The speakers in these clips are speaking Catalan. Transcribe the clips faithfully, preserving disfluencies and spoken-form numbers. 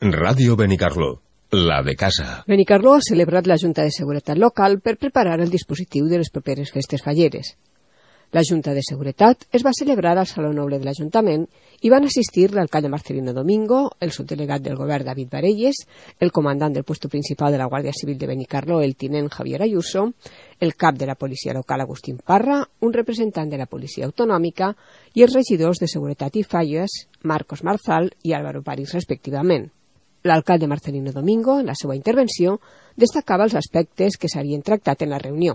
Ràdio Benicarló, la de casa. Benicarló ha celebrat la Junta de Seguretat Local per preparar el dispositiu de les properes festes falleres. La Junta de Seguretat es va celebrar al Saló Noble de l'Ajuntament i van assistir l'alcalde Marcelino Domingo, el subdelegat del govern David Varelles, el comandant del puesto principal de la Guàrdia Civil de Benicarló, el tinent Javier Ayuso, el cap de la policia local Agustín Parra, un representant de la policia autonòmica i els regidors de Seguretat i Falles, Marcos Marzal i Álvaro París, respectivament. L'alcalde Marcelino Domingo, en la seva intervenció, destacava els aspectes que s'havien tractat en la reunió.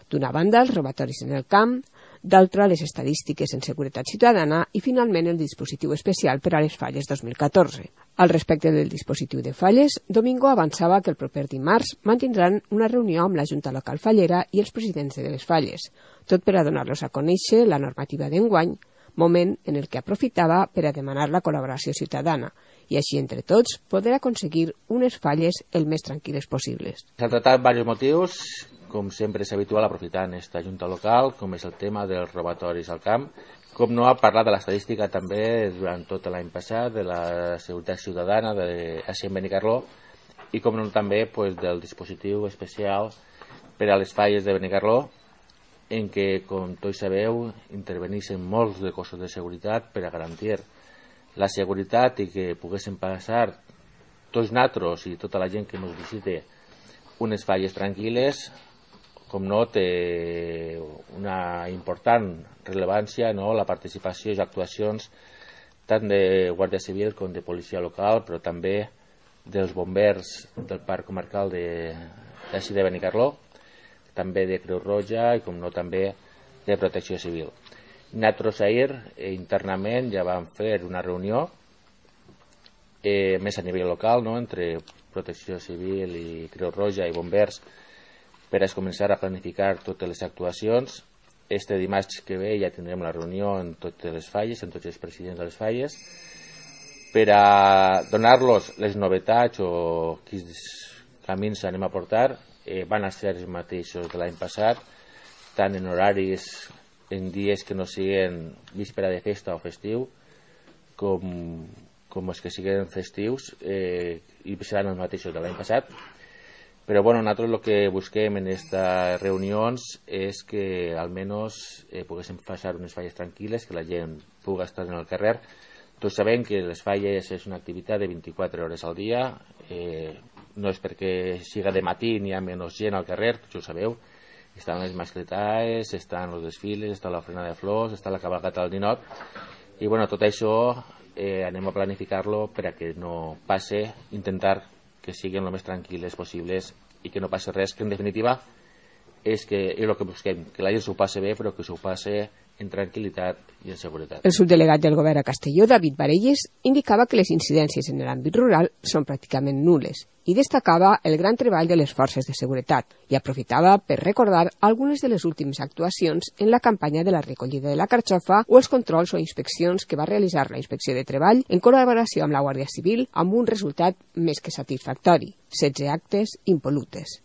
D'una banda, els robatoris en el camp, d'altra, les estadístiques en seguretat ciutadana i, finalment, el dispositiu especial per a les falles dos mil catorze. Al respecte del dispositiu de falles, Domingo avançava que el proper dimarts mantindran una reunió amb la Junta Local Fallera i els presidents de les falles, tot per a donar-los a conèixer la normativa d'enguany, moment en el que aprofitava per a demanar la col·laboració ciutadana i així, entre tots, poder aconseguir unes falles el més tranquil·les possibles. S'han tractat diversos motius, com sempre és habitual aprofitant aquesta junta local, com és el tema dels robatoris al camp, com no ha parlat de l'estadística també durant tot l'any passat, de la seguretat ciutadana de així en Benicarló, i com no també pues, del dispositiu especial per a les falles de Benicarló, en què, com tots sabeu, interveneixen molts de cossos de seguretat per a garantir la seguretat i que poguessin passar tots nosaltres i tota la gent que ens visite unes falles tranquil·les, com no té una important rellevància no? La participació i actuacions tant de Guàrdia Civil com de policia local, però també dels bombers del Parc Comarcal de, d'així de Benicarló, també de Creu Roja i com no també de Protecció Civil. Nosaltres ahir eh, internament ja vam fer una reunió eh, més a nivell local no? Entre Protecció Civil i Creu Roja i bombers per a començar a planificar totes les actuacions. Este dimarts que ve ja tindrem la reunió en totes les falles, en tots els presidents de les falles, per a donar-los les novetats o quins camins anem a portar. Eh, van a ser els mateixos de l'any passat, tant en horaris en dies que no siguin víspera de festa o festiu, com, com els que siguin festius, eh, i seran els mateixos de l'any passat. Però bueno, nosaltres el que busquem en aquestes reunions és que almenys eh, poguéssim passar unes falles tranquil·les, que la gent pugui estar en el carrer. Tots sabem que les falles és una activitat de vint-i-quatre hores al dia, eh, no és perquè siga de matí ni hi ha menys gent al carrer, tots ho sabeu. Estan les mascletaes, estan els desfiles, està l'ofrena de flors, està la cabalgata del ninot. I bueno, tot això eh, anem a planificar-lo per a que no passe, intentar que siguin el més tranquil·les possibles i que no passi res, que en definitiva és, que, és el que busquem, que la gent s'ho passe bé, però que s'ho passe en tranquil·litat i en seguretat. El subdelegat del govern a Castelló, David Varelles, indicava que les incidències en l'àmbit rural són pràcticament nules i destacava el gran treball de les forces de seguretat i aprofitava per recordar algunes de les últimes actuacions en la campanya de la recollida de la carxofa o els controls o inspeccions que va realitzar la Inspecció de Treball en col·laboració amb la Guàrdia Civil amb un resultat més que satisfactori, setze actes impolutes.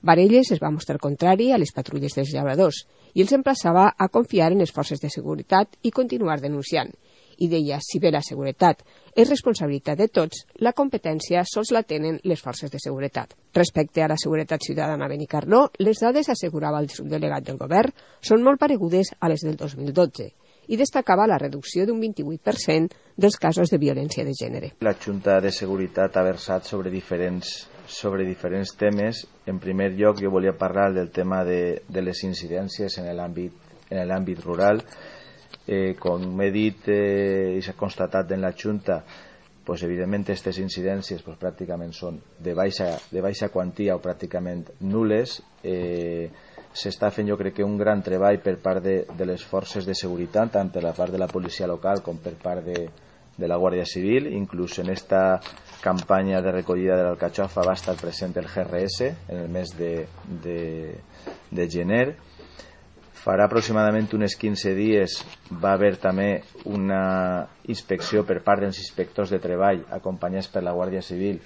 Varelles es va mostrar contrari a les patrulles dels llauradors i els emplaçava a confiar en les forces de seguretat i continuar denunciant. I deia, si bé la seguretat és responsabilitat de tots, la competència sols la tenen les forces de seguretat. Respecte a la seguretat ciutadana a Benicarló, les dades, assegurava el subdelegat del govern, són molt paregudes a les del dos mil dotze i destacava la reducció d'un vint-i-vuit per cent dels casos de violència de gènere. La Junta de Seguretat ha versat sobre diferents sobre diferents temes. En primer lloc, jo volia parlar del tema de, de les incidències en l'àmbit en l'àmbit rural. Eh, com he dit eh, i s'ha constatat en la Junta, pues, evidentment aquestes incidències pues, pràcticament són de baixa, de baixa quantia o pràcticament nules. Eh, s'està fent, jo crec que un gran treball per part de, de les forces de seguretat, tant per la part de la policia local com per part de, de la Guàrdia Civil. Inclús en esta campanya de recollida de l'alcachofa va estar present el G R S en el mes de, de, de gener. Farà aproximadament uns quinze dies va haver també una inspecció per part dels inspectors de treball acompanyats per la Guàrdia Civil,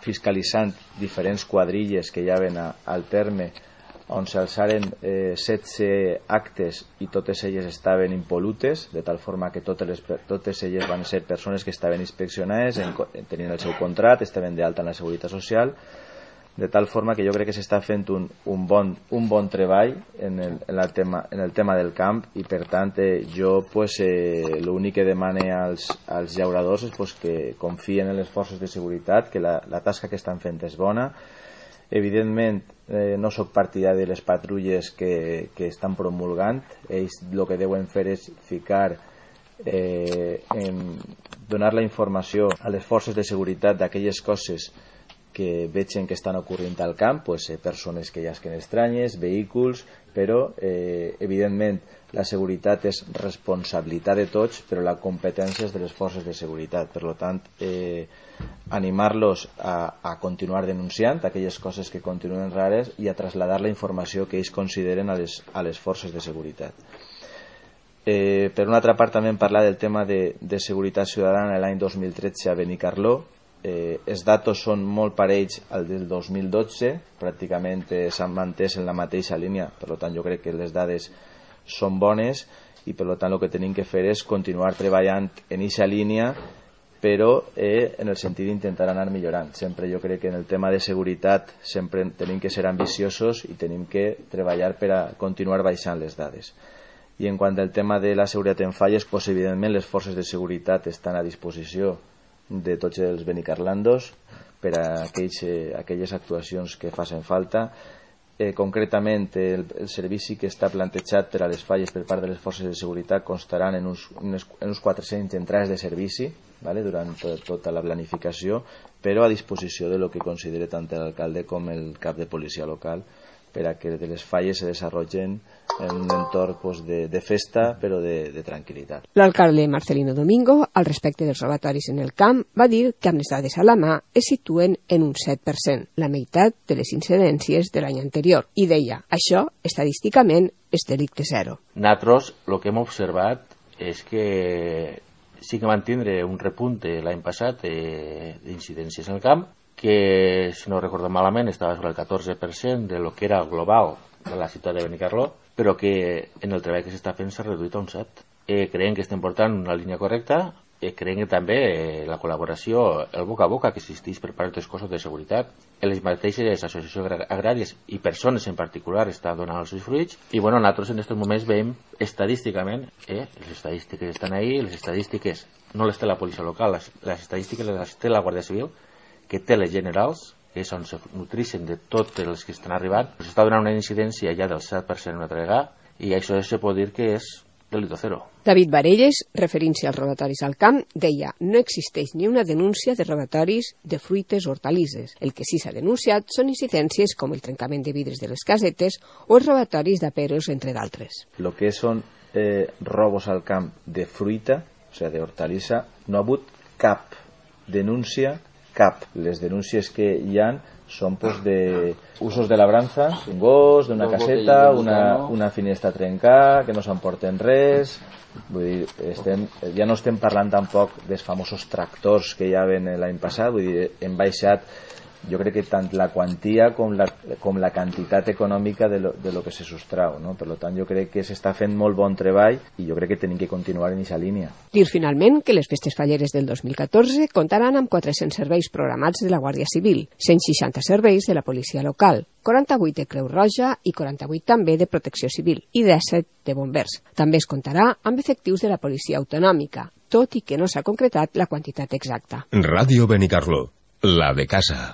fiscalitzant diferents quadrilles que hi havien a, al terme on s'alçaren eh, setze actes i totes elles estaven impolutes, de tal forma que totes, les, totes elles van ser persones que estaven inspeccionades, en, tenien el seu contracte, estaven d'alta en la Seguretat Social, de tal forma que jo crec que s'està fent un, un, bon, un bon treball en el, en, el tema, en el tema del camp, i per tant eh, jo pues, eh, l'únic que demane als, als llauradors és pues, que confien en les forces de seguretat, que la, la tasca que estan fent és bona. Evidentment eh, no sóc partidari de les patrulles que, que estan promulgant. Ells el que deuen fer és ficar eh, en donar la informació a les forces de seguretat d'aquelles coses que vegen que estan ocorrent al camp, pues, eh, persones que llasquen estranyes, vehicles, però eh, evidentment la seguretat és responsabilitat de tots, però la competència és de les forces de seguretat. Per tant, eh, animar-los a, a continuar denunciant aquelles coses que continuen rares i a traslladar la informació que ells consideren a les, a les forces de seguretat. Eh, per una altra part, també parlar del tema de, de seguretat ciutadana l'any dos mil tretze a Benicarló. Eh, els datos són molt parells al del dos mil dotze, pràcticament eh, s'han mantès en la mateixa línia, per tant jo crec que les dades són bones i per tant el que tenim que fer és continuar treballant en aquesta línia, però eh, en el sentit d'intentar anar millorant. Sempre jo crec que en el tema de seguretat sempre tenim que ser ambiciosos i tenim que treballar per a continuar baixant les dades. I en quant al tema de la seguretat en falles, pues, evidentment les forces de seguretat estan a disposició de tots els benicarlandos per a aquells, eh, aquelles actuacions que facin falta. Eh, concretament, el, el servici que està plantejat per a les falles per part de les forces de seguretat constaran en uns, en uns quatre-cents entrades de servici, ¿vale?, durant tot, tota la planificació, però a disposició de lo que considere tant l'alcalde com el cap de policia local, per a que les falles se desenvolupen en un entorn pues, de, de festa, però de, de tranquil·litat. L'alcalde Marcelino Domingo, al respecte dels robatoris en el camp, va dir que amb les dades a la mà es situen en un set per cent, la meitat de les incidències de l'any anterior, i deia, això, estadísticament, és delicte zero. Nosaltres el que hem observat és que sí que van tindre un repunte l'any passat eh, d'incidències en el camp, que, si no recordo malament, estava sobre el catorze per cent de lo que era el global de la ciutat de Benicarló, però que en el treball que s'està fent s'ha reduït a un set. Eh, creiem que estem portant una línia correcta, eh, creiem que també eh, la col·laboració, el boca a boca que existeix per part dels cossos de seguretat, les mateixes associacions agràries i persones en particular estan donant els seus fruits, i bueno, nosaltres en aquests moments veiem estadísticament, eh, les estadístiques estan ahí, les estadístiques no les té la policia local, les, les estadístiques les té la Guàrdia Civil, que té les generals, que és on se nutrixen de totes les que estan arribant, s'està donant una incidència ja del set per cent una altra vegada, i això se pot dir que és delito zero. David Varelles, referint-se als robatoris al camp, deia no existeix ni una denúncia de robatoris de fruites o hortalisses. El que sí s'ha denunciat són incidències com el trencament de vidres de les casetes o els robatoris d'aperos, entre d'altres. Lo que són eh, robos al camp de fruita, o sigui, de hortalissa, no ha hagut cap denúncia, cap. Les denúncies que hi ha són pues, de usos de labranza, un gos, d'una caseta, una, una finestra trencada, que no s'emporten res. Vull dir, estem, ja no estem parlant tampoc dels famosos tractors que hi havia l'any passat, vull dir, hem baixat, jo crec que tant la quantia com la, com la quantitat econòmica de lo, de lo que se sostrau, no? Per tant, jo crec que s'està fent molt bon treball i jo crec que tenim que continuar en aquesta línia. Dir finalment que les festes falleres del dos mil catorze comptaran amb quatre-cents serveis programats de la Guàrdia Civil, cent seixanta serveis de la policia local, quaranta-vuit de Creu Roja i quaranta-vuit també de Protecció Civil i disset de bombers. També es comptarà amb efectius de la policia autonòmica, tot i que no s'ha concretat la quantitat exacta. Ràdio Benicarló, la de casa.